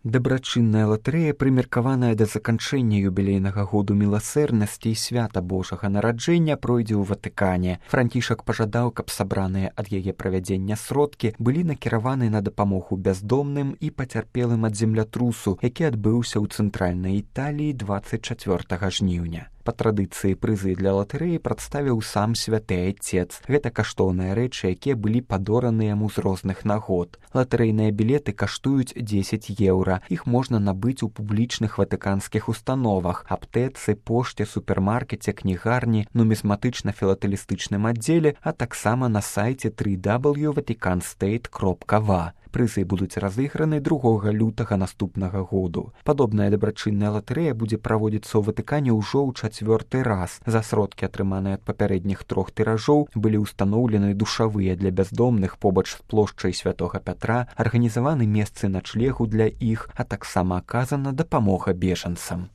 Дабрачынная латарэя, прымеркаваная да заканчэння юбілейнага году міласэрнасці і свята Божага нараджэння, пройдзе ў Ватыкане. Францішак пажадаў, каб сабраныя ад яе правядзення сродкі былі накіраваны на дапамогу бяздомным і пацярпелым ад землятрусу, які адбыўся ў цэнтральнай Італіі 24 жніўня. Па традыцыі прызы для латарэі прадставіў сам святы айцец. Гэта каштоўныя рэчы, якія былі падораны яму з розных нагод. Латарэйныя білеты каштуюць 10 еўра. Іх можна набыць у публічных ватыканскіх установах, аптэцы, пошце, супермаркеце, кнігарні, нумізматычна-філатэлістычным аддзеле, а таксама на сайце www.vaticanstate.va. Прызы будуць разыграны 2 лютага наступнага году. Падобная дабрачынная латарэя будзе праводзіцца ў Ватыкане ўжо ў 4-й раз. За сродкі, атрыманыя ад папярэдніх 3 тыражоў, былі ўстаноўлены душавыя для бяздомных побач з плошчай Святога Пятра, арганізаваны месцы начлегу для іх, а таксама аказана дапамога бежанцам.